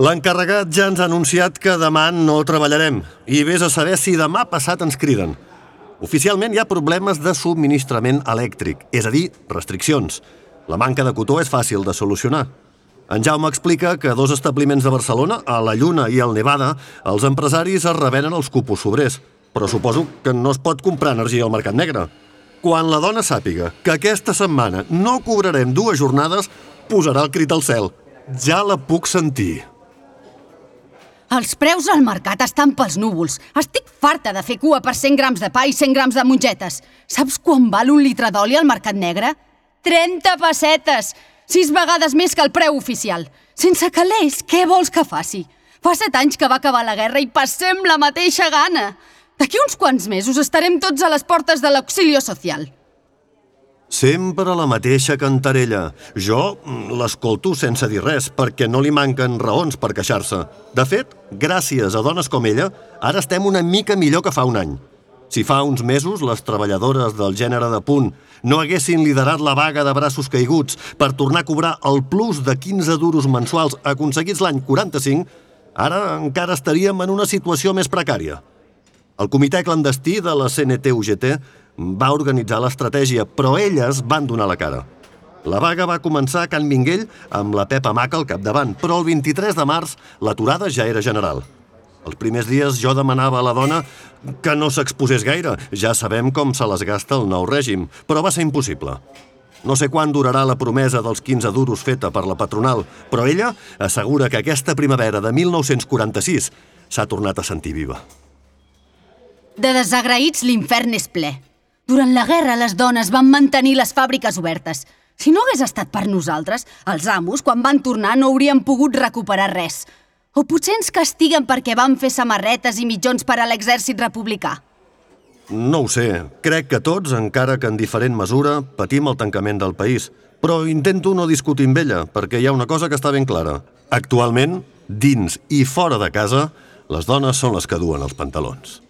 L'encarregat ja ens ha anunciat que demà no treballarem i vés a saber si demà passat ens criden. Oficialment hi ha problemes de subministrament elèctric, és a dir, restriccions. La manca de cotó és fàcil de solucionar. En Jaume explica que a 2 establiments de Barcelona, a la Lluna i al Nevada, els empresaris es revenen els cupos sobrers, però suposo que no es pot comprar energia al mercat negre. Quan la dona sàpiga que aquesta setmana no cobrarem 2 jornades, posarà el crit al cel. Ja la puc sentir. Els preus al mercat estan pels núvols. Estic farta de fer cua per 100 grams de pa i 100 grams de mongetes. Saps quan val un litre d'oli al mercat negre? 30 pessetes! 6 vegades més que el preu oficial. Sense calés, què vols que faci? Fa 7 anys que va acabar la guerra i passem la mateixa gana. D'aquí uns quants mesos estarem tots a les portes de l'auxilio social. Sempre la mateixa cantarella. Jo l'escolto sense dir res, perquè no li manquen raons per queixar-se. De fet, gràcies a dones com ella, ara estem una mica millor que fa un any. Si fa uns mesos les treballadores del gènere de punt no haguessin liderat la vaga de braços caiguts per tornar a cobrar el plus de 15 duros mensuals aconseguits l'any 45, ara encara estaríem en una situació més precària. El comitè clandestí de la CNT-UGT va organitzar l'estratègia, però elles van donar la cara. La vaga va començar a Can Minguell amb la Pepa Maca al capdavant, però el 23 de març l'aturada ja era general. Els primers dies jo demanava a la dona que no s'exposés gaire. Ja sabem com se les gasta el nou règim, però va ser impossible. No sé quan durarà la promesa dels 15 duros feta per la patronal, però ella assegura que aquesta primavera de 1946 s'ha tornat a sentir viva. De desagraïts l'infern és ple. Durant la guerra les dones van mantenir les fàbriques obertes. Si no hagués estat per nosaltres, els amos, quan van tornar, no haurien pogut recuperar res. O potser ens castiguen perquè van fer samarretes i mitjons per a l'exèrcit republicà. No ho sé. Crec que tots, encara que en diferent mesura, patim el tancament del país. Però intento no discutir amb ella, perquè hi ha una cosa que està ben clara. Actualment, dins i fora de casa, les dones són les que duen els pantalons.